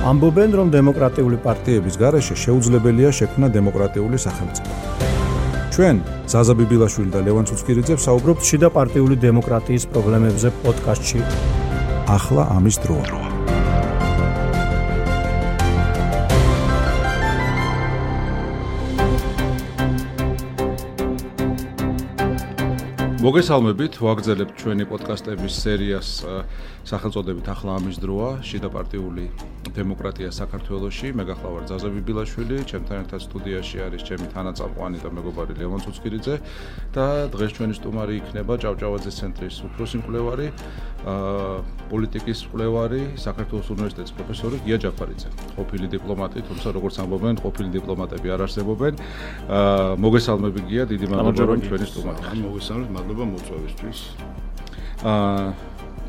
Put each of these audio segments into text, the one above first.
ამბობენ, რომ დემოკრატიული პარტიების გარეშე შეუძლებელია შექმნა დემოკრატიული სახელმწიფო. ჩვენ ზაზა ბიბილაშვილი და ლევან ცუცქირიძე ვსაუბრობთ შიდა პარტიული დემოკრატიის პრობლემებზე პოდკასტში. ახლა ამის დროა. მოგესალმებით, ვაგრძელებთ ჩვენი პოდკასტების სერიას სახელწოდებით ახლა ამის დროა, შიდა პარტიული დემოკრატია საქართველოში. მე გახლავარ ზაზა ბიბილაშვილი, ჩემთან ერთად სტუდიაში არის ჩემი თანაწამყვანი და მეგობარი ლევან ცუცქირიძე და დღეს ჩვენი სტუმარი იქნება ჭავჭავაძის ცენტრის უფროსი მკვლევარი, პოლიტიკის მკვლევარი, საქართველოს უნივერსიტეტის პროფესორი გია ჯაფარიძე. ყოფილი დიპლომატი, თუმცა როგორც ამბობენ, ყოფილი დიპლომატები არ არსებობენ. მოგესალმები გია, დიდი მადლობა რომ ჩვენი სტუმარი ხარ. მოგესალმებით, მადლობა მოწვევისთვის.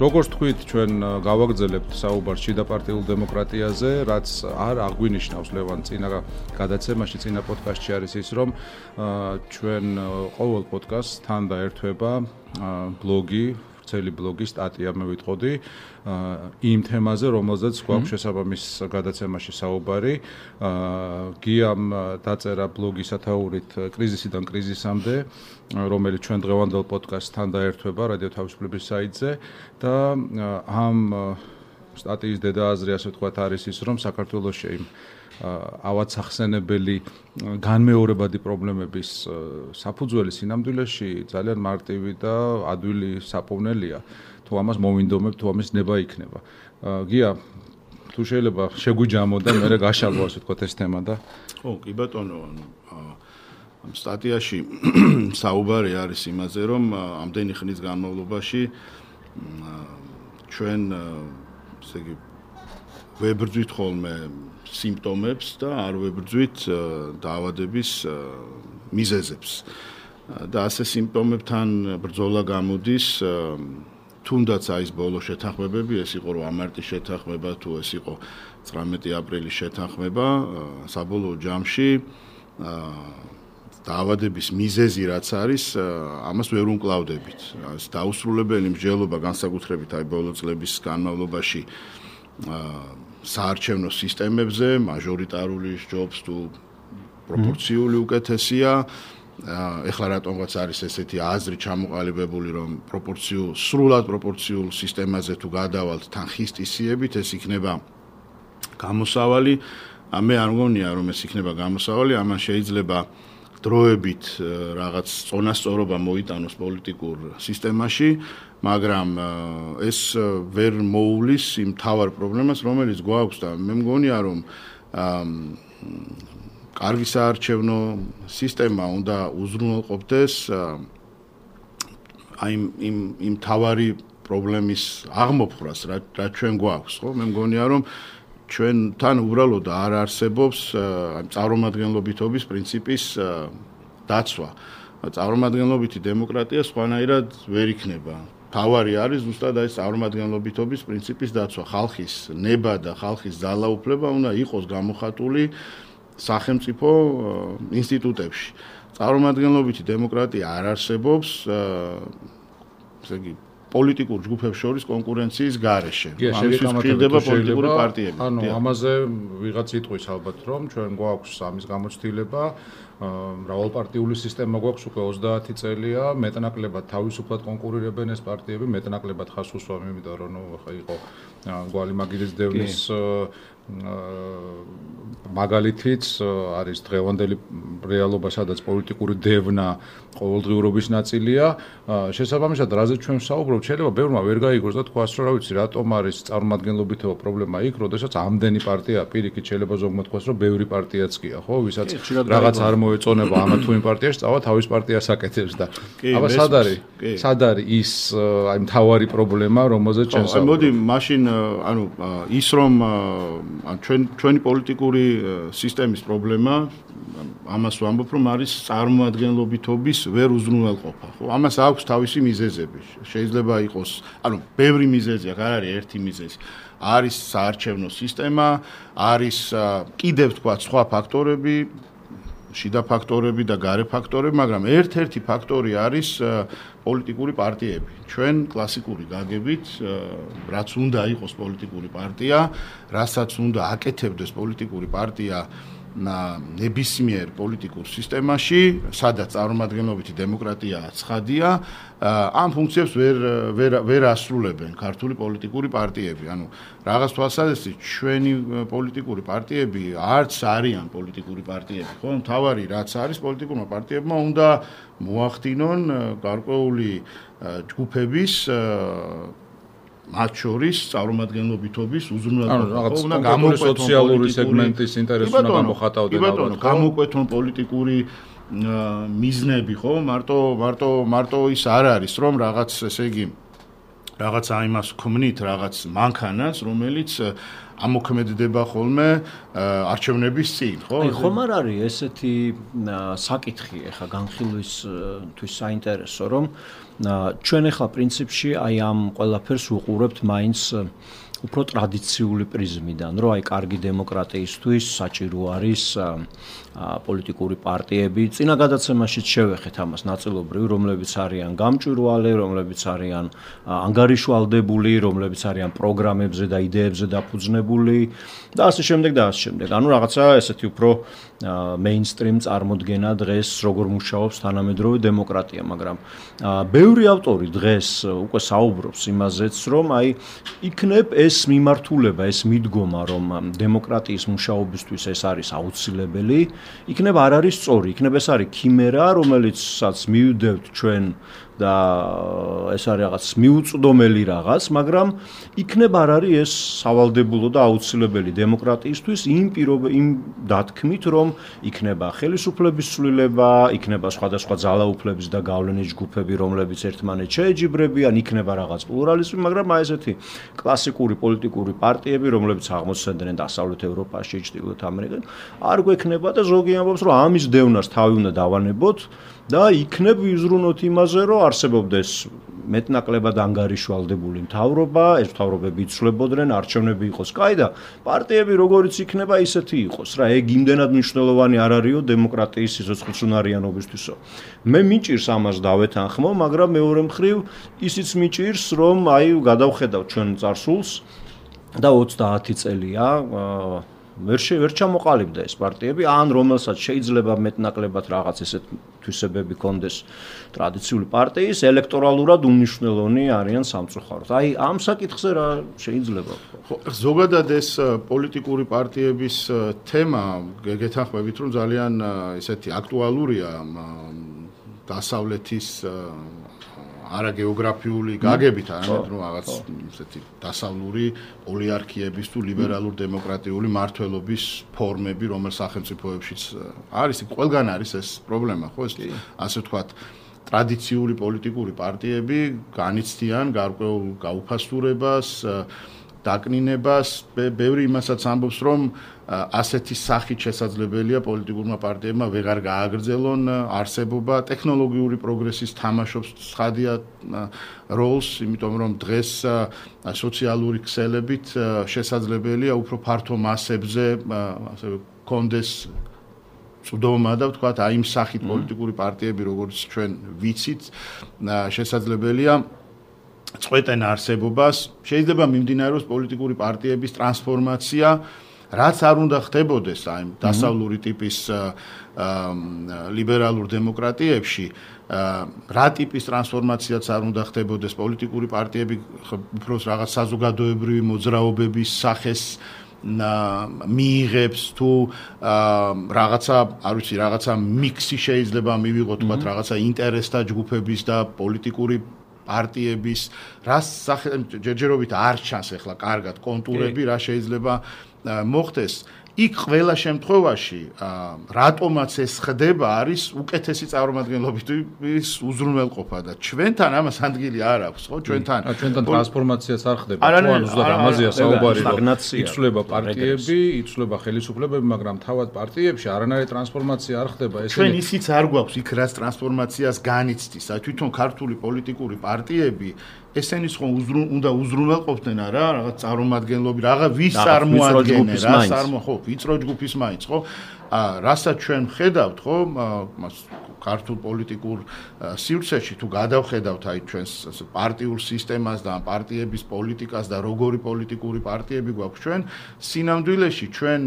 როგორც თქვით, ჩვენ გავაგრძელებთ საუბარს შიდა პარტიულ დემოკრატიაზე, რაც არ აღვინიშნავს ლევან წინა გადაცემაში, წინა პოდკასტში არის ის, რომ ჩვენ ყოველ პოდკასტს თან დაერთვება ბლოგი, ვრცელი ბლოგი, სტატია მე ვიტყოდი იმ თემაზე, რომელზეც გვაქვს შესაბამის გადაცემაში საუბარი. გიამ დაწერა ბლოგი სათაურით კრიზისიდან კრიზისამდე, რომელიც ჩვენ დღევანდელ პოდკასტთან დაერთვება რადიო თავისუფლების საიტზე და ამ სტატიის დედააზრი, ასე ვთქვათ, არის ის, რომ საქართველოში იმ ავადსახსენებელი განმეორებადი პრობლემების საფუძველი სინამდვილეში ძალიან მარტივი და ადვილი საპოვნელია. თუ ამას მოვინდომებ, თუ ამის ნება იქნება. გია, თუ შეიძლება შეგვიჯამო და მე გაშალო, ასე ვთქვათ, ეს თემა და ხო, კი ბატონო, ამ სტატიაში საუბარი არის იმაზე, რომ ამდენი ხნის განმავლობაში ჩვენ ესე იგი ვებრძვით ხოლმე სიმპტომებს და არ ვებრძვით დაავადების მიზეზებს. და ასე სიმპტომებთან ბრძოლა გამოდის, თუნდაც აი ეს ბოლო შეთანხმებები, ეს იყო 8 მარტის შეთანხმება, თუ ეს იყო 19 აპრილის შეთანხმება, საბოლოო ჯამში დაავადების მიზეზი რაც არის, ამას ვერ უმკლავდებით. ეს დაუსრულებელი მსჯელობა განსაკუთრებით აი ბოლო წლების განმავლობაში საარჩევნო სისტემებზე, მაჟორიტარული ჯობს თუ პროპორციული უკეთესია. ეხლა რატომღაც არის ესეთი აზრი ჩამოყალიბებული, რომ სრულად პროპორციულ სისტემაზე თუ გადავალთ თან ხისტისიებით, ეს იქნება გამოსავალი. მე არ მგონია, რომ ეს იქნება გამოსავალი, ამან შეიძლება დროებით რაღაც წონასწორობა მოიტანოს პოლიტიკურ სისტემაში, მაგრამ ეს ვერ მოუვლის იმ მთავარ პრობლემას, რომელიც გვაქვს და მე მგონია, რომ კარგი საარჩევნო სისტემა უნდა უზრუნველყოფდეს აი იმ მთავარი პრობლემის აღმოფხვრას, რაც ჩვენ გვაქვს, ხო? მე მგონია, რომ ჩვენთან უბრალოდ არ არსებობს წარმომადგენლობითობის პრინციპის დაცვა. წარმომადგენლობითი დემოკრატია სხვანაირად ვერ იქნება. თავარი არის ზუსტად ეს წარმომადგენლობითობის პრინციპის დაცვა. ხალხის ნება და ხალხის ძალაუფლება უნდა იყოს გამოხატული სახელმწიფო ინსტიტუტებში. წარმომადგენლობითი დემოკრატია არ არსებობს, ესე იგი პოლიტიკურ ჯგუფებს შორის კონკურენციის გარეშე. ამისთვის ხდება პოლიტიკური პარტიები. ანუ ამაზე ვიღაც იტყვის ალბათ, რომ ჩვენ გვაქვს ამის გამოცდილება, მრავალპარტიული სისტემა გვაქვს უკვე 30 წელია, მეტნაკლებად თავისუფლად კონკურირებენ ეს პარტიები, მეტნაკლებად ხას უსვამ, იმიტომ რომ იყო გვალი მაგირის დევნის მაგალითიც არის დღევანდელი რეალობა, სადაც პოლიტიკური დევნა ყოველდღიურობის ნაწილია. შესაბამისად, რაზეც ჩვენ ვსაუბრობთ, შეიძლება ბევრმა ვერ გაიგოს და თქვას, რომ რა ვიცი, რატომ არის წარმომადგენლობითობა პრობლემა იქ, როდესაც ამდენი პარტია პირიქით შეიძლება ზოგმა თქვას, რომ ბევრი პარტიაც გია, ხო, ვისაც რაღაც არ მოეწონება ამა თუ იმ პარტიაში, წავა თავის პარტიას აკეთებს და აბა სად არის ის აი მთავარი პრობლემა, რომელზეც ჩვენ საუბრობთ? მოდი, მაშინ ანუ ის რომ ჩვენი პოლიტიკური სისტემის პრობლემა, ამას ვამბობ, რომ არის წარმომადგენლობითობის ვერ უზრუნველყოფა, ხო? ამას აქვს თავისი მიზეზები. შეიძლება იყოს, ანუ ბევრი მიზეზი, არ არის ერთი მიზეზი. არის საარჩევნო სისტემა, არის კიდევ თქვა სხვა ფაქტორები, შიდა ფაქტორები და გარე ფაქტორები, მაგრამ ერთ-ერთი ფაქტორი არის პოლიტიკური პარტიები. ჩვენ კლასიკური გაგებით, რაც უნდა იყოს პოლიტიკური პარტია, რასაც უნდა აკეთებდეს პოლიტიკური პარტია ნებისმიერ პოლიტიკურ სისტემაში, სადაც წარმომადგენლობითი დემოკრატია ცხადია, ამ ფუნქციებს ვერ ასრულებენ ქართული პოლიტიკური პარტიები. ანუ რაღაც თვალსაზრისით ჩვენი პოლიტიკური პარტიები არც არიან პოლიტიკური პარტიები, ხო? მთავარი რაც არის პოლიტიკურმა პარტიებმა უნდა მოახდინონ გარკვეული ჯგუფების მათ შორის წარმომადგენლობითობის უზრუნველყოფა, უნდა გამოყვეთონ სოციალური სეგმენტის ინტერესს უნდა გამოხატავდნენ ალბათ, გამოყვეთონ პოლიტიკური მიზნები, ხო? მარტო ის არ არის, რომ რაღაც, ესე იგი, რაღაც აიმას ქმნით, რაღაც მანქანას, რომელიც ამოქმედდება ხოლმე არჩევნების წინ, ხო? ხომ არ არის ესეთი საკითხი ახლა განხილვისთვის საინტერესო, რომ ჩვენ ახლა პრინციპში აი ამ ყველაფერს უყურებთ მაინც უფრო ტრადიციული პრიზმიდან, რომ აი კარგი დემოკრატიისთვის საჭირო არის პოლიტიკური პარტიები. წინა გადაცემაშიც შევეხეთ ამას ნაწილობრივ, რომლებიც არიან გამჭვირვალე, რომლებიც არიან ანგარიშვალდებული, რომლებიც არიან პროგრამებზე და იდეებზე დაფუძნებული და ასე შემდეგ და ასე შემდეგ. ანუ რაღაცა ესეთი უფრო მეინსტრიმ წარმოდგენა დღეს როგორ მუშაობს თანამედროვე დემოკრატია, მაგრამ ბევრი ავტორი დღეს უკვე საუბრობს იმაზეც, რომ აი იქნებ ეს მიმართულება, ეს მიდგომა, რომ დემოკრატიის მუშაობისთვის ეს არის აუცილებელი, იქნებ არ არის სწორი, იქნებ ეს არის ქიმერა, რომელიცაც მივდევთ ჩვენ და ეს არის რაღაც მიუწვდომელი რაღაც, მაგრამ იქნებ არ არის ეს სავალდებულო და აუცილებელი დემოკრატიისთვის იმ დათქმით, რომ იქნება ხელისუფლების ცვლილება, იქნება სხვადასხვა ძალაუფლების და გავლენის ჯგუფები, რომლებიც ერთმანეთს შეეჯიბრებიან, იქნება რაღაც პლურალიზმი, მაგრამ აი ესეთი კლასიკური პოლიტიკური პარტიები, რომლებიც აღმოცენდნენ დასავლეთ ევროპაში, ჩრდილოეთ ამერიკაში, არ გვექნება და ზოგი ამბობს, რომ ამის დევნას თავი უნდა დავანებოთ და იქნებ ვიზრუნოთ იმაზე, რომ არსებობდეს მეტნაკლებად ანგარიშვალდებული მთავრობა, ეს მთავრობები იცვლებოდნენ, არჩევნები იყოს კაი და პარტიები როგორიც იქნება ისეთი იყოს რა, ეგ იმდენად მნიშვნელოვანი არ არისო დემოკრატიის სიცოცხლისუნარიანობისთვისო. მე მიჭირს ამას დავეთანხმო, მაგრამ მეორე მხრივ ისიც მიჭირს, რომ აი გადავხედავ ჩვენ წარსულს და 30 წელია ვერ ჩამოყალიბდა ეს პარტიები, ან რომელსაც შეიძლება მეტნაკლებად რაღაც ესეთ თვისებები კონდეს ტრადიციული პარტიის, ელექტორალურად უნიშნელოვნი არიან სამწუხაროდ. აი ამ საკითხზე რა შეიძლება? ხო, ზოგადად ეს პოლიტიკური პარტიების თემა გეთანხმებით, რომ ძალიან ესეთი აქტუალურია დასავლეთის არაგეოგრაფიული გაგებით, არამედ რომ რაღაც ესეთი დასავლური ოლიარქიების თუ ლიბერალურ დემოკრატიული მართლობის ფორმები, რომელ სახელმწიფოებშიც არის, ყველგან არის ეს პრობლემა, ხო, ეს ასე ვთქვათ, ტრადიციული პოლიტიკური პარტიები განიცდიან გარკვეულ გაუფასურებას, დაკნინებას, ბევრი იმასაც ამბობს, რომ ასეთი სახით შესაძლებელია პოლიტიკურმა პარტიებმა ვეღარ გააგრძელონ არსებობა, ტექნოლოგიური პროგრესის თამაშობს ცხადია როლს, იმიტომ რომ დღეს სოციალური ქსელებით შესაძლებელია უფრო ფართო მასებზე ასე კონდეს წვდომა და ვთქვათ, აი იმ სახით პოლიტიკური პარტიები, როგორც ჩვენ ვიცით, შესაძლებელია წყვეტენ არსებობას, შეიძლება მიმდინარეობს პოლიტიკური პარტიების ტრანსფორმაცია, რაც არ უნდა ხდებოდეს აი დასავლური ტიპის ლიბერალურ დემოკრატიებში, რა ტიპის ტრანსფორმაციაც არ უნდა ხდებოდეს პოლიტიკური პარტიები უფრო რაღაც საზოგადოებრივი მოძრაობების სახეს მიიღებს თუ რაღაცა, არ ვიცი, რაღაცა მიქსი შეიძლება მივიღოთ, თქვათ, რაღაცა ინტერესთა ჯგუფების და პოლიტიკური პარტიების, რას ჯერჯერობით არ ჩანს ახლა კარგად კონტურები, რა შეიძლება მოხდეს. იქ ყველა შემთხვევაში რატომაც ეს ხდება არის უკეთესი წარმომადგენლობის უზრუნველყოფა და ჩვენთან ამას ადგილი არ აქვს, ხო? ჩვენთან ტრანსფორმაციას არ ხდება. ჩვენ ზუსტად ამაზეა საუბარი, რომ იცვლება პარტიები, იცვლება ხელისუფლებები, მაგრამ თავად პარტიებში არანაირი ტრანსფორმაცია არ ხდება. ჩვენ ისიც არ გვაქვს იქ რაც ტრანსფორმაციას განიცდის. თვითონ ქართული პოლიტიკური პარტიები ესენის ხომ უნდა უზრუნველყოფდნენ რა, რაღაც წარმომადგენლობი, ვის წარმოადგენენ, ხო, ვიწრო ჯგუფის მაინც, ხო? რასაც ჩვენ ხედავთ, ხო, ქართულ პოლიტიკურ სივრცეში თუ გადავხედავთ აი ჩვენს პარტიულ სისტემას და პარტიების პოლიტიკას და როგორი პოლიტიკური პარტიები გვაქვს ჩვენ, სინამდვილეში ჩვენ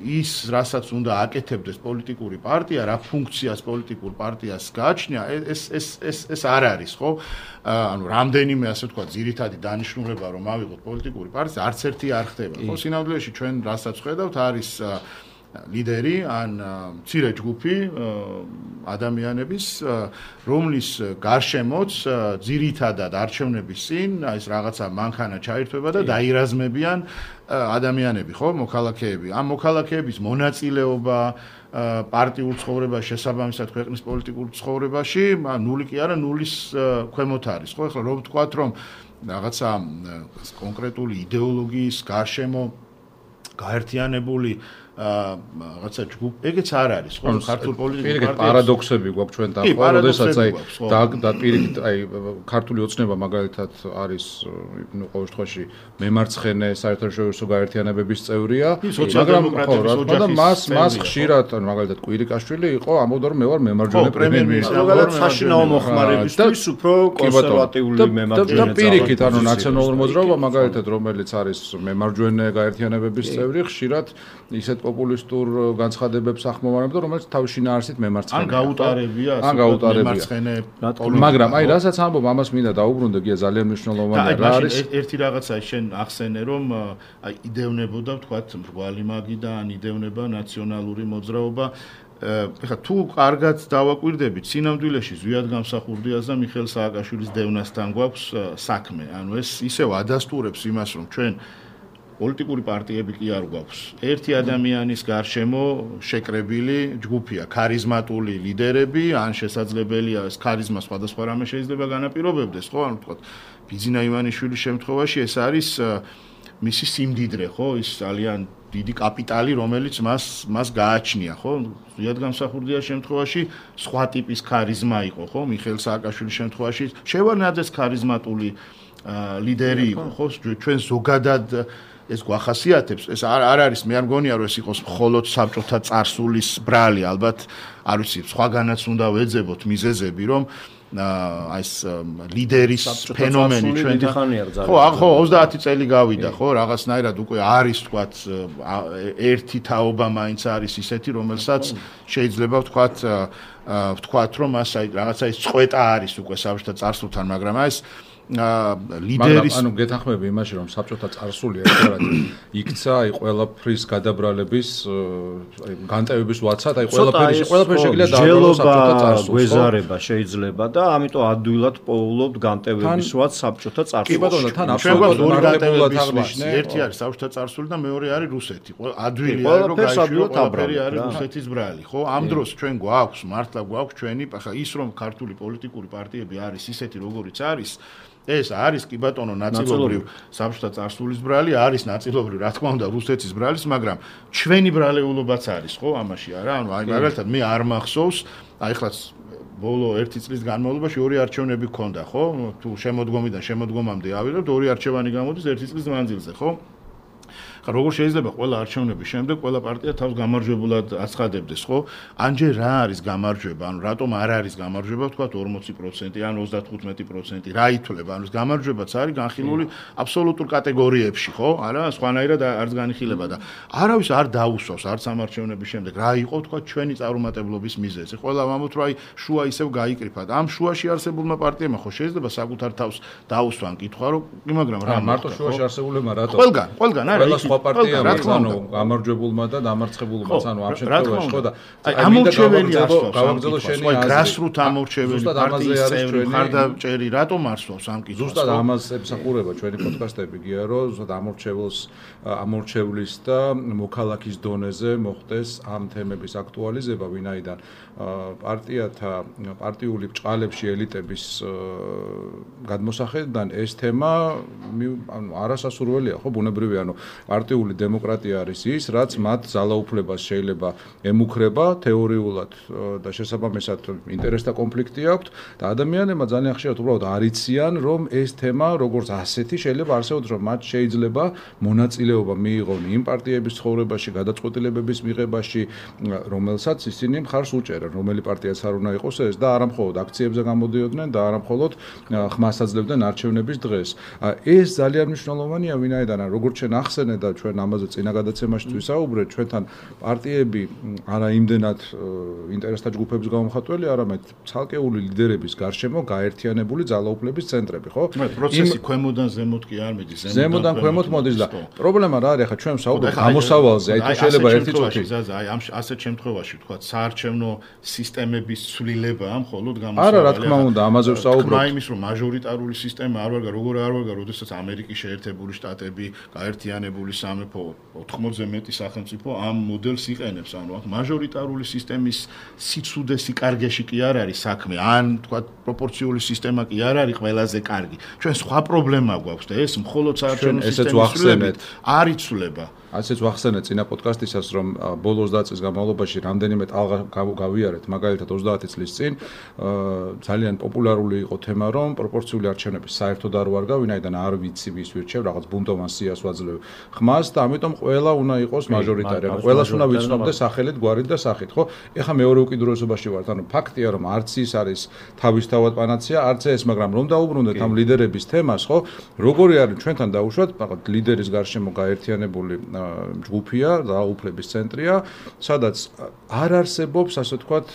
ის რასაც უნდა აკეთებდეს პოლიტიკური პარტია, რა ფუნქციას პოლიტიკურ პარტიას გააჩნია, ეს არ არის, ხო? ანუ რამდენიმე ასე ვთქვათ, ძირითადი დანიშნულება რომ ავიღოთ პოლიტიკური პარტია, არც ერთი არ ხდება. ხო, სინამდვილეში ჩვენ რასაც ხედავთ, არის ლიდერი ან მცირე ჯგუფი ადამიანების, რომლის გარშემოც ძირითადად არჩევნების წინ ეს რაღაცა მანქანა ჩაირთვება და დაირაზმებიან ადამიანები, ხო, მოქალაქეები. ამ მოქალაქეების მონაწილეობა პარტიულ ცხოვრებაში, შესაბამისად ქვეყნის პოლიტიკურ ცხოვრებაში, ნული კი არა, ნულის ქვემოთ არის, ხო? ახლა რომ ვთქვათ, რომ რაღაცა კონკრეტული იდეოლოგიის გარშემო გაერთიანებული რაღაცა ჯგუფი, ეგეც არ არის, ხო? ქართულ პოლიტიკურ პარტიებში პარადოქსები გვაქვს ჩვენ დაახლოებით, როდესაც აი და პირიქით აი ქართული ოცნება მაგალითად არის, ნუ ყოველ შემთხვევაში მემარცხენე საერთაშორისო გაერთიანებების წევრია, მაგრამ ხო, რა თქმა უნდა, მას ხშირად, მაგალითად კვირიკაშვილი იყო, ამბობდა რომ მე ვარ მემარჯვენე პრემიერ-მინისტრი, მაგალითად საშინაო მოხმარებისთვის უფრო კონსერვატიული მემარჯვენე. და პირიქით, ანუ ნაციონალური მოძრაობა მაგალითად, რომელიც არის მემარჯვენე გაერთიანებების წევრი, ხშირად ისეთ პოპულისტურ განცხადებებს ახმოვანებდა, რომელიც თავის შინაარსით მემარცხენეა. ან გაუტარებია, მემარცხენე. მაგრამ აი რასაც ამბობ, ამას მინდა დაუბრუნდე, გია ძალიან მნიშვნელოვანია რა არის. ერთი რაღაცა შენ ახსენე, რომ აი იდევნებოდა, ვთქვათ, მრგვალი მაგიდა, ან იდევნება ნაციონალური მოძრაობა. ეხლა თუ კარგად დავაკვირდებით, სინამდვილეში ზვიად გამსახურდიას და მიხეილ სააკაშვილის დევნასთან გვაქვს საქმე. ანუ ეს ისევ ადასტურებს იმას, რომ ჩვენ პოლიტიკური პარტიები კი არ გვაქვს. ერთი ადამიანის გარშემო შეკრებილი ჯგუფია, ქარიზმატული ლიდერები, ან შესაძლებელია ეს ქარიზმა სხვადასხვა რამე შეიძლება განაპირობებდეს, ხო? ანუ ვთქვათ, ბიძინა ივანიშვილის შემთხვევაში ეს არის მისი სიმდიდრე, ხო? ის ძალიან დიდი კაპიტალი, რომელიც მას გააჩნია, ხო? ზვიად გამსახურდიას შემთხვევაში სხვა ტიპის ქარიზმა იყო, ხო? მიხეილ სააკაშვილის შემთხვევაში შევარნაძეს ქარიზმატული ლიდერი იყო, ხო? ჩვენ ზოგადად ეს გვახასიათებს, ეს არ არის, მე არ მგონია რომ ეს იყოს მხოლოდ საბჭოთა წარსულის ბრალი, ალბათ არ ვიცი, სხვაგანაც უნდა ვეძებოთ მიზეზები, რომ აი ეს ლიდერის ფენომენი ჩვენ ხო 30 წელი გავიდა, ხო, რაღაცნაირად უკვე არის, თქვათ, ერთი თაობა მაინც არის ისეთი, რომელსაც შეიძლება ვთქვათ, რომ მას აი რაღაცა ის წყვეტა არის უკვე საბჭოთა წარსულთან, მაგრამ აი ეს ლიდერის ანუ გეთანხმები იმაში რომ საბჭოთა წარსული ერთგვარად იქცა აი ყველაფრის გადაბრალების აი განტევების ვაცად აი ყველაფერი შეიძლება დააბრალოს საბჭოთა წარსულს გვეზარება შეიძლება და ამიტომ ადვილად პოულობთ განტევების ვაც საბჭოთა წარსულს კი ბატონო თან აბსოლუტურად მარტივად აღნიშნე ერთი არის საბჭოთა წარსული და მეორე არის რუსეთი ადვილია რომ გაიშვიო ყველაფერი არის რუსეთის ბრალი ხო ამ დროს ჩვენ გვაქვს მართლა გვაქვს ჩვენი ახლა ის რომ ქართული პოლიტიკური პარტიები არის ისეთი როგორიც არის ეს არის კი ბატონო ნაწილობრივ საბჭოთა წარსულის ბრალი, არის ნაწილობრივ რა თქმა უნდა რუსეთის ბრალის, მაგრამ ჩვენი ბრალეულობაც არის, ხო, ამაში არა? ანუ აი მაგალითად მე არ მახსოვს, აი ხლაც ბოლო 1 წლის განმავლობაში 2 არჩევნები გქონდა, ხო? თუ შემოდგომიდან შემოდგომამდე ავიღებთ 2 არჩევანი გამოდის 1 წლის მანძილზე, ხო? როგორ შეიძლება ყველა არჩევნების შემდეგ ყველა პარტია თავს გამარჯვებულად აცხადებდეს, ხო? ანჯერ რა არის გამარჯვება? ანუ რატომ არ არის გამარჯვება, ვთქვათ 40% ან 35%? რა ითვლება? ანუ გამარჯვებაც არის განხილული აბსოლუტურ კატეგორიებში, ხო? არა, სხვანაირად არც განიხილება და არავის არ დაუსვავს არც ამ არჩევნების შემდეგ. რა იყო, ვთქვათ, ჩვენი წარუმატებლობის მიზეზი? ყველა ამბობთ, რომ აი შუა ისევ გაიკრიფა და ამ შუაში არსებულმა პარტიებმა ხო შეიძლება საკუთარ თავს დაუსვან კითხვა, რომ მაგრამ რა მარტო შუაში არსებულებმა რატო? ყველგან არის პარტია ანუ გამარჯვებულმა და დამარცხებულმაც ანუ ამ შემთხვევაში ხო და ამორჩეველი გავაგზავნო შენი გრასრუთ ამორჩეველი პარტიის წევრი ხარდაჭერი რატომ არსვავს ამ კითხვას ზუსტად ამას ემსახურება ჩვენი პოდკასტები გია რომ ზუსტად ამორჩევლის და მოქალაქის დონეზე მოხდეს ამ თემების აქტუალიზება ვინაიდან პარტიათა პარტიული ბჭყალებში ელიტების გადმოსახედიდან ეს თემა ანუ არასასურველია ხო ბუნებრივია ანუ პარტიული დემოკრატია არის ის, რაც მათ ძალაუფლებას შეიძლება ემუქრება თეორიულად და შესაბამისად ინტერესთა კონფლიქტი აქვს და ადამიანებმა ძალიან ხშირად უბრალოდ არიციან, რომ ეს თემა როგორც ასეთი შეიძლება არსებობს, რომ მათ შეიძლება მონაწილეობა მიიღონ იმ პარტიების ცხოვრებაში, გადაწყვეტილებების მიღებაში, რომელსაც ისინი მხარს უჭერენ, რომელი პარტიაც არ უნდა იყოს ეს და არა მხოლოდ აქციებზე გამოდიოდნენ და არა მხოლოდ ხმას აძლევდნენ არჩევნების დღეს. ეს ძალიან მნიშვნელოვანია, ვინაიდან როგორც ჩვენ ახსენეთ და ჩვენ ამაზე წინა გადაცემაში ვისაუბრეთ, ჩვენთან პარტიები არა იმდენად ინტერესთა ჯგუფების გამომხატველი, არამედ ცალკეული ლიდერების გარშემო გაერთიანებული ძალაუფლების ცენტრები, ხო? პროცესი ქვემოდან ზემოთ კი არ მიდის, ზემოდან ქვემოთ მოდის და პრობლემა რა არის, ახლა ჩვენ ვსაუბრობთ გამოსავალზე, აი თუ შეიძლება ერთი წუთი. აი ამ ასეთ შემთხვევაში თქვა საარჩევნო სისტემების ცვლილება მხოლოდ გამოსავალზე. არა, რა თქმა უნდა, ამაზე ვსაუბრობთ. თქმა იმის, რომ მაჟორიტარული სისტემა არ ვარგა, როგორ არ ვარგა, როდესაც ამერიკის შეერთებული შტატები, გაერთიანებული სამეფო 80-ზე მეტი სახელმწიფო ამ მოდელს იყენებს, ანუ აქ მაჟორიტარული სისტემის სიცუდეს სიკარგეში კი არ არის საქმე, ან თქვა პროპორციული სისტემა კი არ არის ყველაზე კარგი. ჩვენ სხვა პრობლემა გვაქვს და ეს მხოლოდ საარჩევნო სისტემის არ იცვლება. ასეც ვახსენეთ წინა პოდკასტისას, რომ ბოლო 20 წლის განმავლობაში რამდენიმე ტალღა გავიარეთ, მაგალითად 30 წლის წინ ძალიან პოპულარული იყო თემა, რომ პროპორციული არჩევნები საერთოდ არ ვარგა, ვინაიდან არ ვიცი ვის ვირჩევ, რაღაც ბუნდოვან სიას ვაძლევ ხმას და ამიტომ ყველა უნდა იყოს მაჟორიტარი, ანუ ყველას უნდა ვიცნობდეს სახელით, გვარით და სახით, ხო? ეხლა მეორე უკიდურესობაში ვართ, ანუ ფაქტია, რომ არც ის არის თავისთავად პანაცეა, არც ეს, მაგრამ რომ დაუბრუნდეთ ამ ლიდერების თემას, ხო? როგორი არის ჩვენთან დაუშვათ, მაგათ ლიდერის გარშემო გაერთიანებული ჯგუფია, ძალაუფლების ცენტრია, სადაც არ არსებობს, ასე ვთქვათ,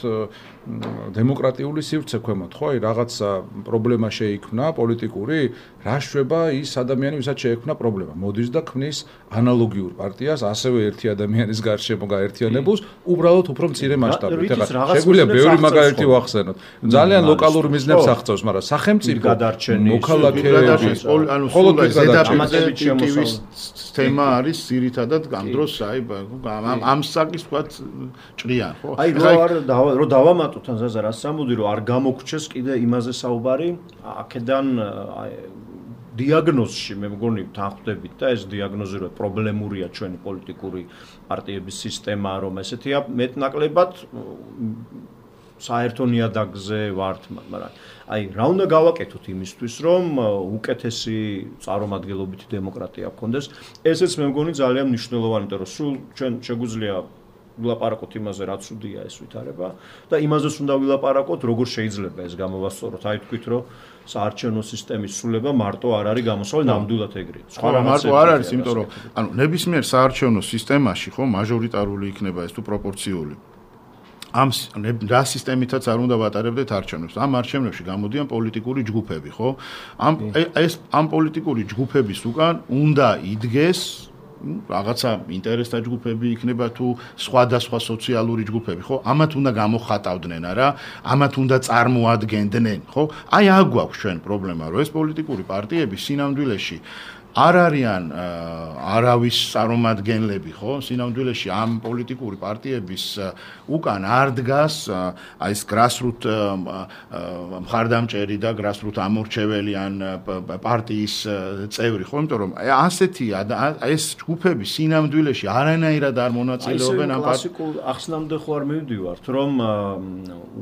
დემოკრატიული სივრცე ქვემოთ, ხო? აი რაღაცა პრობლემა შეიქმნა პოლიტიკური, რა შვება ის ადამიანი, ვისაც შეექმნა პრობლემა. მოდის და ქმნის ანალოგიურ პარტიას, ასევე ერთი ადამიანის გარშემო გაერთიანებულს, უბრალოდ უფრო მცირე მასშტაბით. ეხლა შეგვიძლია ბევრი მაგალითი ვახსენოთ. ძალიან ლოკალურ მიზნებს აღწევს, მაგრამ სახელმწიფო მოქალაქეები, ანუ მხოლოდ ზედაპირის თემა არის ძირითადად ამ დროს, აი ამ საკის ვთქვათ ჭრიან, ხო? აი რო დავამატოთ ან ზაზა რას ამბობდი, რომ არ გამოგჩეს კიდე იმაზე საუბარი, აქედან დიაგნოზში მე მგონი თანხმდებით და ეს დიაგნოზი რომ პრობლემურია ჩვენი პოლიტიკური პარტიების სისტემა, რომ ესეთია მეტნაკლებად საერთო ნიადაგზე ვართ, მაგრამ აი რა უნდა გავაკეთოთ იმისთვის, რომ უკეთესი წარმომადგენლობითი დემოკრატია გქონდეს. ესეც მე მგონი ძალიან მნიშვნელოვანი, იმიტომ რომ სულ ჩვენ შეგვიძლია ვილაპარაკოთ იმაზე, რაც უდია ეს ვითარება და იმაზეც უნდა ვილაპარაკოთ, როგორ შეიძლება ეს გამოვასწოროთ. აი თქვით, რომ საარჩევნო სისტემის სრულება მარტო არ არის გამოსავალი ნამდვილად ეგრე. სხვა მარტო არ არის, იმიტომ რომ ანუ ნებისმიერ საარჩევნო სისტემაში ხო მაჟორიტარული იქნება ეს თუ პროპორციული. ამ რა სისტემითაც არ უნდა ვატარებდეთ არჩევნებს. ამ არჩევნებში გამოდიან პოლიტიკური ჯგუფები, ხო? ამ პოლიტიკური ჯგუფების უკან უნდა იდგეს რაღაცა ინტერესთა ჯგუფები იქნება თუ სხვადასხვა სოციალური ჯგუფები, ხო? ამათ უნდა გამოხატავდნენ, არა? ამათ უნდა წარმოადგენდნენ, ხო? აი აქ გვაქვს ჩვენ პრობლემა, რომ ეს პოლიტიკური პარტიები სინამდვილეში არ არიან არავის წარმომადგენლები, ხო? სინამდვილეში ამ პოლიტიკური პარტიების უკან არ დგას აი ეს grassroot მხარდამჭერი და grassroot ამორჩეველი ან პარტიის წევრი, ხო? იმიტომ რომ ასეთი ეს ჯგუფები სინამდვილეში არანაირად არ მონაწილეობენ ამ კლასიკურ ახსნამდე ხო არ მივდივართ, რომ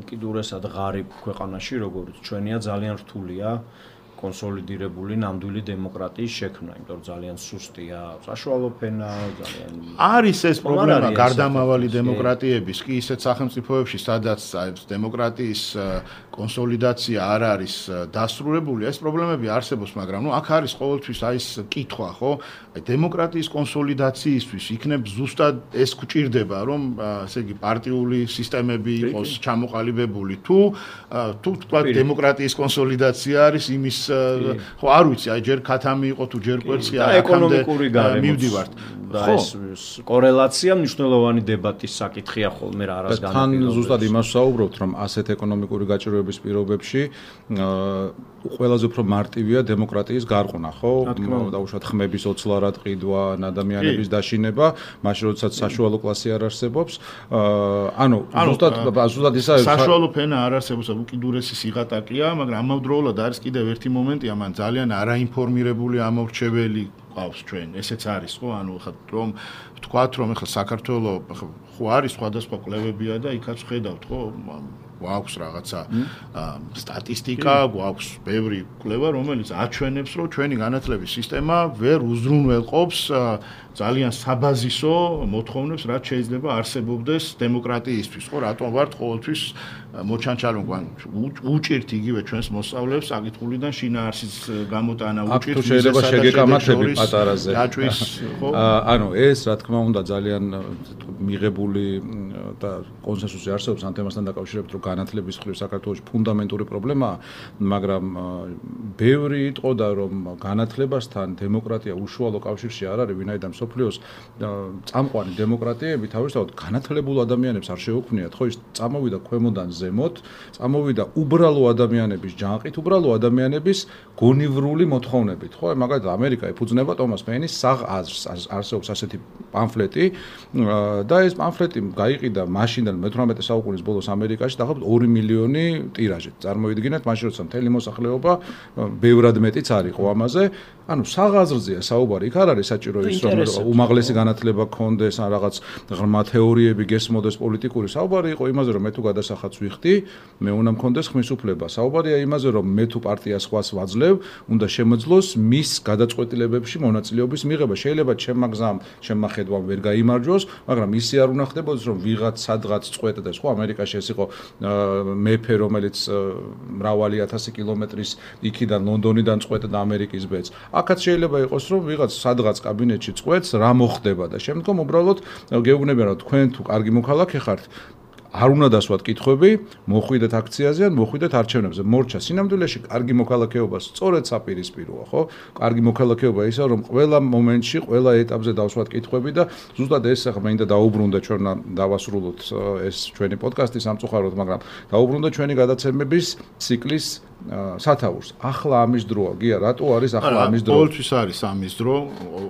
უკიდურესად ღარიბ ქვეყანაში, როგორც ჩვენია, ძალიან რთულია კონსოლიდირებული ნამდვილი დემოკრატიის შექმნა, იმიტომ რომ ძალიან სუსტია საშუალო ფენა, ძალიან არის ეს პრობლემა გარდამავალი დემოკრატიების, კი ისეთ სახელმწიფოებში, სადაც დემოკრატიის კონსოლიდაცია არ არის დასრულებული, ეს პრობლემები არსებობს, მაგრამ ნუ აქ არის ყოველთვის აი ეს კითხვა, ხო? აი დემოკრატიის კონსოლიდაციისთვის იქნებ ზუსტად ეს გვჭირდება, რომ ესე იგი პარტიული სისტემები იყოს ჩამოყალიბებული, თუ თქვა დემოკრატიის კონსოლიდაცია არის იმის ხო არ ვიცი, აი ჯერ ქათამი იყო თუ ჯერ კვერცხი და ეკონომიკური გარემივდივართ. და ეს კორელაცია მნიშვნელოვანი დებატის საკითხია ხოლმე რა არის განაპირობებული. თან ზუსტად იმას ვსაუბრობთ, რომ ასეთ ეკონომიკური გაჭირვების პირობებში ყველაზე უფრო მარტივია დემოკრატიის გარყვნა, ხო? დაუშვათ ხმების ოცლარად ყიდვა, ადამიანების დაშინება, მაშინ როდესაც საშუალო კლასი არ არსებობს. ანუ ზუსტად ისა საშუალო ფენა არ არსებობს, უკიდურესი სიღატაკეა, მაგრამ ამავდროულად არის კიდევ ერთი მომენტია, მან ძალიან არაინფორმირებული ამორჩეველი ყავს ჩვენ, ესეც არის ხო, ანუ ხა რომ ვთქვათ რომ ახლა საქართველოს ხო არის სხვადასხვა კვლევებია და იქაც ხედავთ ხო გვაქვს რაღაცა სტატისტიკა, გვაქვს ბევრი კვლევა, რომელიც აჩვენებს, რომ ჩვენი განათლების სისტემა ვერ უზრუნველყოფს ძალიან საბაზისო მოთხოვნებს, რაც შეიძლება არსებობდეს დემოკრატიისთვის, ხო, რატომ ვართ ყოველთვის მოჩანჩალონ, უჭირთ იგივე ჩვენს მოსწავლეებს საკითხულიდან შინაარსის გამოტანა, უჭირთ შეიძლება შეგეკამათები პატარაზე. დაჭვის, ხო? ანუ ეს რა თქმა უნდა ძალიან მიღებული და კონსენსუსი არსებობს ამ თემასთან დაკავშირებით, რომ განათლების მხრივ საქართველოში ფუნდამენტური პრობლემაა, მაგრამ ბევრი იტყოდა, რომ განათლებასთან დემოკრატია უშუალო კავშირში არ არის, ვინაიდან სოფლიოს წამყვანი დემოკრატიები თავისთავად განათლებულ ადამიანებს არ შეუქმნიათ, ხო, ის წამოვიდა ქვემოდან ზემოთ, წამოვიდა უბრალო ადამიანების ჯანყით, უბრალო ადამიანების გონივრული მოთხოვნებით, ხო, მაგალითად ამერიკა ეფუძნება ტომას პეინის საღ აზრს, არსებობს ასეთი პამფლეტი და ეს პამფლეტი გაიყიდა მაშინდან მე-18 საუკუნის ბოლოს ამერიკაში დაახლოებით 2 მილიონი ტირაჟით. წარმოიდგინეთ, მაშინ როცა მთელი მოსახლეობა ბევრად მეტიც არ იყო ამაზე, ანუ საღ აზრზეა საუბარი, იქ არ არის საჭირო ის რომ უმაღლესი განათლება გქონდეს, ან რაღაც ღრმა თეორიები გესმოდეს პოლიტიკური. საუბარი იყო იმაზე, რომ მე თუ გადასახადს ვიხდი, მე უნდა მქონდეს ხმის უფლება. საუბარია იმაზე, რომ მე თუ პარტიას ხვას ვაძლევ, უნდა შემოძლოს მის გადაწყვეტილებებში მონაწილეობის მიღება. შეიძლება ჩემმა გზამ, ჩემმა ხედვამ ვერ გაიმარჯვოს, მაგრამ ისე არ უნდა ხდებოდეს, რომ ვიღაც სადღაც წყვეტდეს, ხო, ამერიკაში ეს იყო მეფე, რომელიც მრავალი 1000 კილომეტრის იქიდან ლონდონიდან წყვეტდა ამერიკის ბედს. აქაც შეიძლება იყოს, რომ ვიღაც სადღაც კაბინეტში წყვეტს, რა მოხდება და შემდგომ უბრალოდ გეუბნებიან, რომ თქვენ თუ კარგი მოქალაქე ხართ, არ უნდა დასვათ კითხვები, მოხვიდეთ აქციაზე ან მოხვიდეთ არჩევნებზე. მორჩა სინამდვილეში კარგი მოქალაქეობა სწორედ საპირისპიროა, ხო? კარგი მოქალაქეობა ისა, რომ ყველა მომენტში, ყველა ეტაპზე დავსვათ კითხვები და ზუსტად ეს ახლა მინდა დაუბრუნდა ჩვენ დავასრულოთ ეს ჩვენი პოდკასტი სამწუხაროდ, მაგრამ დაუბრუნდა ჩვენი გადაცემების ციკლის სათაურს. ახლა ამის დროა, გია, რატო არის ახლა ამის დრო? ყოველთვის არის ამის დრო.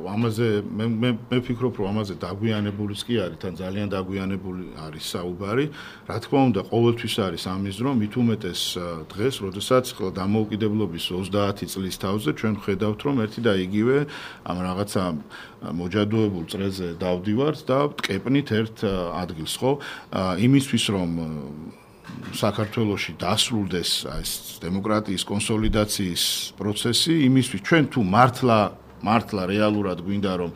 ამაზე მე ვფიქრობ, რომ ამაზე დაგვიანებულიც კი არის, თან ძალიან დაგვიანებული არის საუბარი. რა თქმა უნდა, ყოველთვის არის ამის დრო, მით უმეტეს დღეს, როდესაც დამოუკიდებლობის 30 წლის თავზე ჩვენ ხედავთ, რომ ერთი და იგივე ამ რაღაცა მოჯადოებულ წრეზე დავდივართ და ვტკეპნით ერთ ადგილს, ხო? იმისთვის, რომ საქართველოში დასრულდეს ეს დემოკრატიის კონსოლიდაციის პროცესი, იმისთვის ჩვენ თუ მართლა რეალურად გვინდა რომ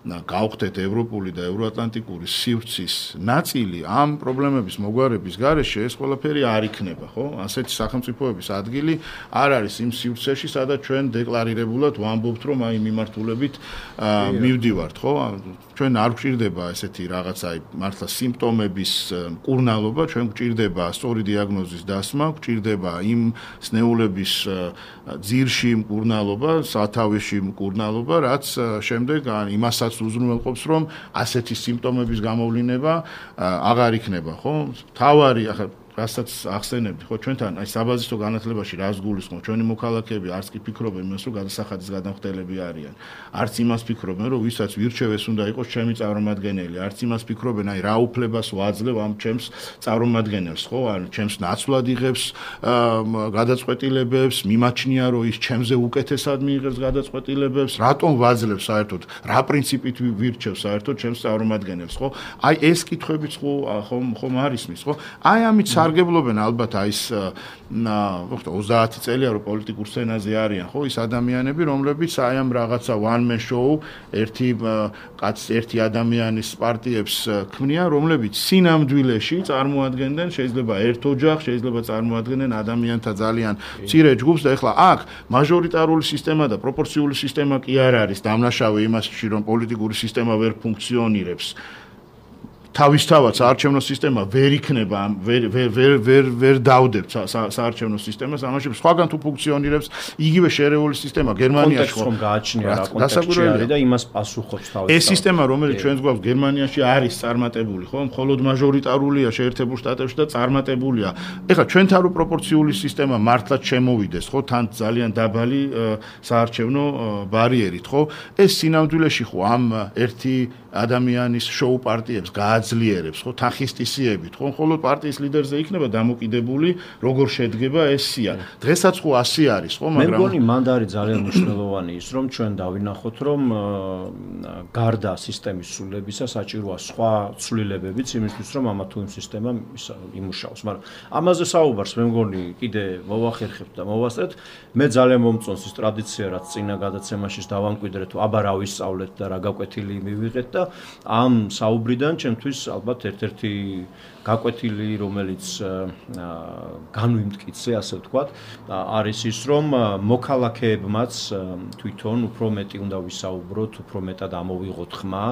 გავხდეთ ევროპული და ევროატლანტიკური სივრცის ნაწილი ამ პრობლემების მოგვარების გარეშე ეს ყველაფერი არ იქნება, ხო? ასეთი სახელმწიფოების ადგილი არ არის იმ სივრცეში, სადაც ჩვენ დეკლარირებულად ვამბობთ, რომ აი მიმართულებით მივდივართ, ხო? ჩვენ არ გვჭირდება ესეთი რაღაცა მართლა სიმპტომების მკურნალობა, ჩვენ გვჭირდება სწორი დიაგნოზის დასმა, გვჭირდება იმ სნეულების ძირში მკურნალობა, სათავეში მკურნალობა, რაც შემდეგ იმასაც უზრუნველყოფს, რომ ასეთი სიმპტომების გამოვლინება აღარ იქნება, ხო? თავარი ახლა რასაც ახსენებდი, ხო, ჩვენთან აი საბაზისო განათლებაში რას გულისხმობ, ჩვენი მოქალაქეები არც კი ფიქრობენ იმას, რომ გადასახადის გადამხდელები არიან. არც იმას ფიქრობენ, რომ ვისაც ვირჩევ ეს უნდა იყოს ჩემი წარმომადგენელი, არც იმას ფიქრობენ, აი რა უფლებას ვაძლევ ამ ჩემს წარმომადგენელს, ხო? ან ჩემს ნაცვლად იღებს გადაწყვეტილებებს, მიმაჩნია, რომ ის ჩემზე უკეთესად მიიღებს გადაწყვეტილებებს, რატომ ვაძლევ საერთოდ, რა პრინციპით ვირჩევ საერთოდ ჩემს წარმომადგენელს, ხო? აი ეს კითხვებიც ხომ არის მის, ხო? აი ამით სარგებლობენ ალბათ აი ეს 30 წელია რომ პოლიტიკურ სცენაზე არიან, ხო, ის ადამიანები, რომლებიც აი ამ რაღაცა one man show ერთი ადამიანის პარტიებს ქმნიან, რომლებიც სინამდვილეში წარმოადგენდნენ შეიძლება ერთ ოჯახს, შეიძლება წარმოადგენდნენ ადამიანთა ძალიან მცირე ჯგუფს და ეხლა აქ მაჟორიტარული სისტემა და პროპორციული სისტემა კი არ არის დამნაშავე იმასში, რომ პოლიტიკური სისტემა ვერ ფუნქციონირებს. თავისთავად საარჩევნო სისტემა ვერ იქნება, ვერ დავდებთ საარჩევნო სისტემას, ამაში სხვაგან თუ ფუნქციონირებს იგივე შერეული სისტემა გერმანიაში ხო გააჩნია რა კონტექსტი არის და იმას პასუხობს თავისთავად. ეს სისტემა, რომელიც ჩვენს გვაქვს გერმანიაში არის წარმატებული, ხო? მხოლოდ მაჟორიტარულია შეერთებულ შტატებში და წარმატებულია. ეხლა ჩვენთან რო პროპორციული სისტემა მართლაც შემოვიდეს, ხო? თან ძალიან დაბალი საარჩევნო ბარიერით, ხო? ეს სინამდვილეში ხო ამ ერთი ადამიანის შოუ პარტიებს გააძლიერებს, ხო, თანხისტისიებით, ხო, ხოლო პარტიის ლიდერზე იქნება დამოკიდებული, როგორ შედგება ეს სია. დღესაც ხო ასე არის, ხო, მაგრამ მე მგონი მანდ არის ძალიან მნიშვნელოვანი ის, რომ ჩვენ დავინახოთ, რომ გარდა სისტემის ცვლილებისა საჭიროა სხვა ცვლილებებიც იმისთვის, რომ ამა თუ იმ სისტემა იმუშაოს. მაგრამ ამაზე საუბარს მე მგონი კიდე მოვახერხებთ და მოვასწრეთ. მე ძალიან მომწონს ის ტრადიცია, რაც წინა გადაცემაში დავამკვიდრეთ, აბა რა ვისწავლეთ და რა გაკვეთილი მივიღეთ და ამ საუბრიდან ჩემთვის ალბათ ერთ-ერთი გაკვეთილი, რომელიც განვიმტკიცე, ასე ვთქვათ, არის ის, რომ მოქალაქეებმაც თვითონ უფრო მეტი უნდა ვისაუბროთ, უფრო მეტად ამოვიღოთ ხმა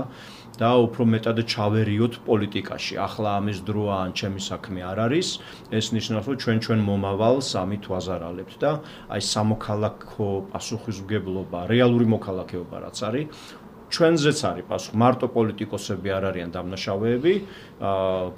და უფრო მეტად ჩავერიოთ პოლიტიკაში. ახლა ამის დროა ან ჩემი საქმე არ არის, ეს ნიშნავს, რომ ჩვენ მომავალს ამით ვაზარალებთ და აი სამოქალაქო პასუხისმგებლობა, რეალური მოქალაქეობა რაც არის, ჩვენზეც არის პასუხი. მარტო პოლიტიკოსები არ არიან დამნაშავეები,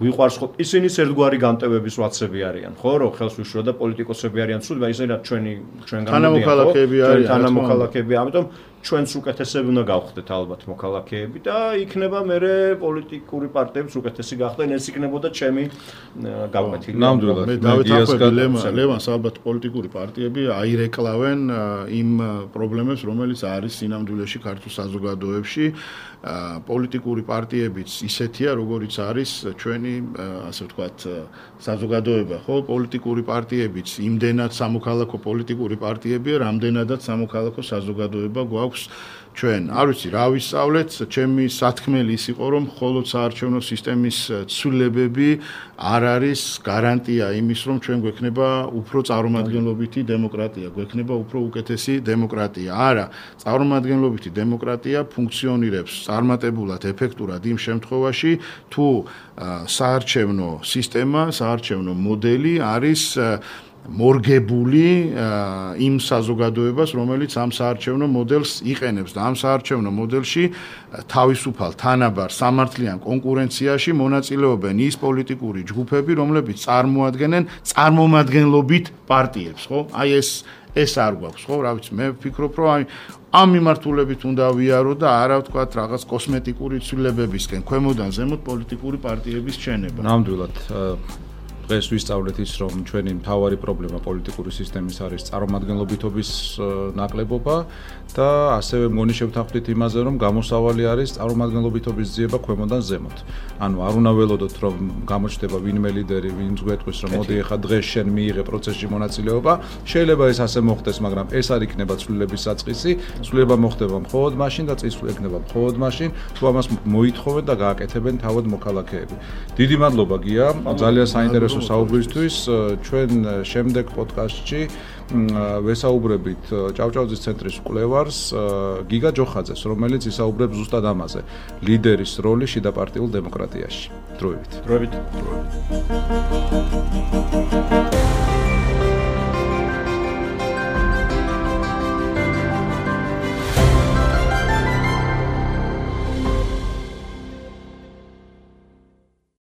გვიყვარს ხო ისინიც ერთგვარი განტევების ვაცები არიან, ხო, რომ ხელს უშვა და პოლიტიკოსები არიან ცუდ, მაგრამ ისინი ჩვენგან თანამოქალაქეები არიან, თანამოქალაქეები, ამიტომ ჩვენც უკეთესები უნდა გავხდეთ ალბათ მოქალაქეები და იქნება მერე პოლიტიკური პარტიებიც უკეთესი გახდნენ, ეს იქნებოდა ჩემი გაკვეთილი. ნამდვილად. მე დავეთანხმები ლევანს, ალბათ პოლიტიკური პარტიები აირეკლავენ იმ პრობლემებს, რომელიც არის სინამდვილეში ქართულ საზოგადოებაში. პოლიტიკური პარტიებიც ისეთია, როგორიც არის ჩვენი, ასე ვთქვათ, საზოგადოება, ხო? პოლიტიკური პარტიებიც იმდენად სამოქალაქო პოლიტიკური პარტიებია, რამდენადაც სამოქალაქო საზოგადოება გვაქვს ჩვენ. არ ვიცი, რა ვისწავლეთ, ჩემი სათქმელი ის იყო, რომ მხოლოდ საარჩევნო სისტემის ცვლილებები არ არის გარანტია იმის, რომ ჩვენ გვექნება უფრო წარმომადგენლობითი დემოკრატია, გვექნება უფრო უკეთესი დემოკრატია. არა, წარმომადგენლობითი დემოკრატია ფუნქციონირებს წარმატებულად, ეფექტურად იმ შემთხვევაში, თუ საარჩევნო სისტემა, საარჩევნო მოდელი არის მორგებული იმ საზოგადოებას, რომელიც ამ საარჩევნო მოდელს იყენებს და ამ საარჩევნო მოდელში თავისუფალ თანაბარ სამართლიან კონკურენციაში მონაწილეობენ ის პოლიტიკური ჯგუფები, რომლებიც წარმოადგენენ წარმომადგენლობით პარტიებს, ხო? აი ეს არ გვაქვს, ხო? რა ვიცი, მე ვფიქრობ, რომ ამ მიმართულებით უნდა ვიარო და არა ვთქვათ რაღაც კოსმეტიკური ცვლილებებისკენ, ქვემოდან ზემოთ პოლიტიკური პარტიების ჩენება. ნამდვილად დღეს ვისწავლეთ ის, რომ ჩვენი მთავარი პრობლემა პოლიტიკური სისტემის არის წარმომადგენლობითობის ნაკლებობა და ასევე მგონი შევთანხმდით იმაზე, რომ გამოსავალი არის წარმომადგენლობითობის ძიება ქვემოდან ზემოთ. ანუ არ უნდა ველოდოთ, რომ გამოჩნდება ვინმე ლიდერი, ვინც გვეტყვის, რომ მოდი ახლა დღეს შენ მიიღე პროცესში მონაწილეობა, შეიძლება ეს ასე მოხდეს, მაგრამ ეს არ იქნება ცვლილების საწყისი, ცვლილება მოხდება მხოლოდ მაშინ და წინსვლა იქნება მხოლოდ მაშინ, თუ ამას მოითხოვენ და გააკეთებენ თავად მოქალაქეები. დიდი მადლობა გია, ძალიან საინტერესო საუბრისთვის. ჩვენ შემდეგ პოდკასტში ვესაუბრებით ჭავჭავაძის ცენტრის კვლევარს გიგა ჯოხაძეს, რომელიც ისაუბრებს ზუსტად ამაზე, ლიდერის როლი შიდაპარტიულ დემოკრატიაში. დროებით.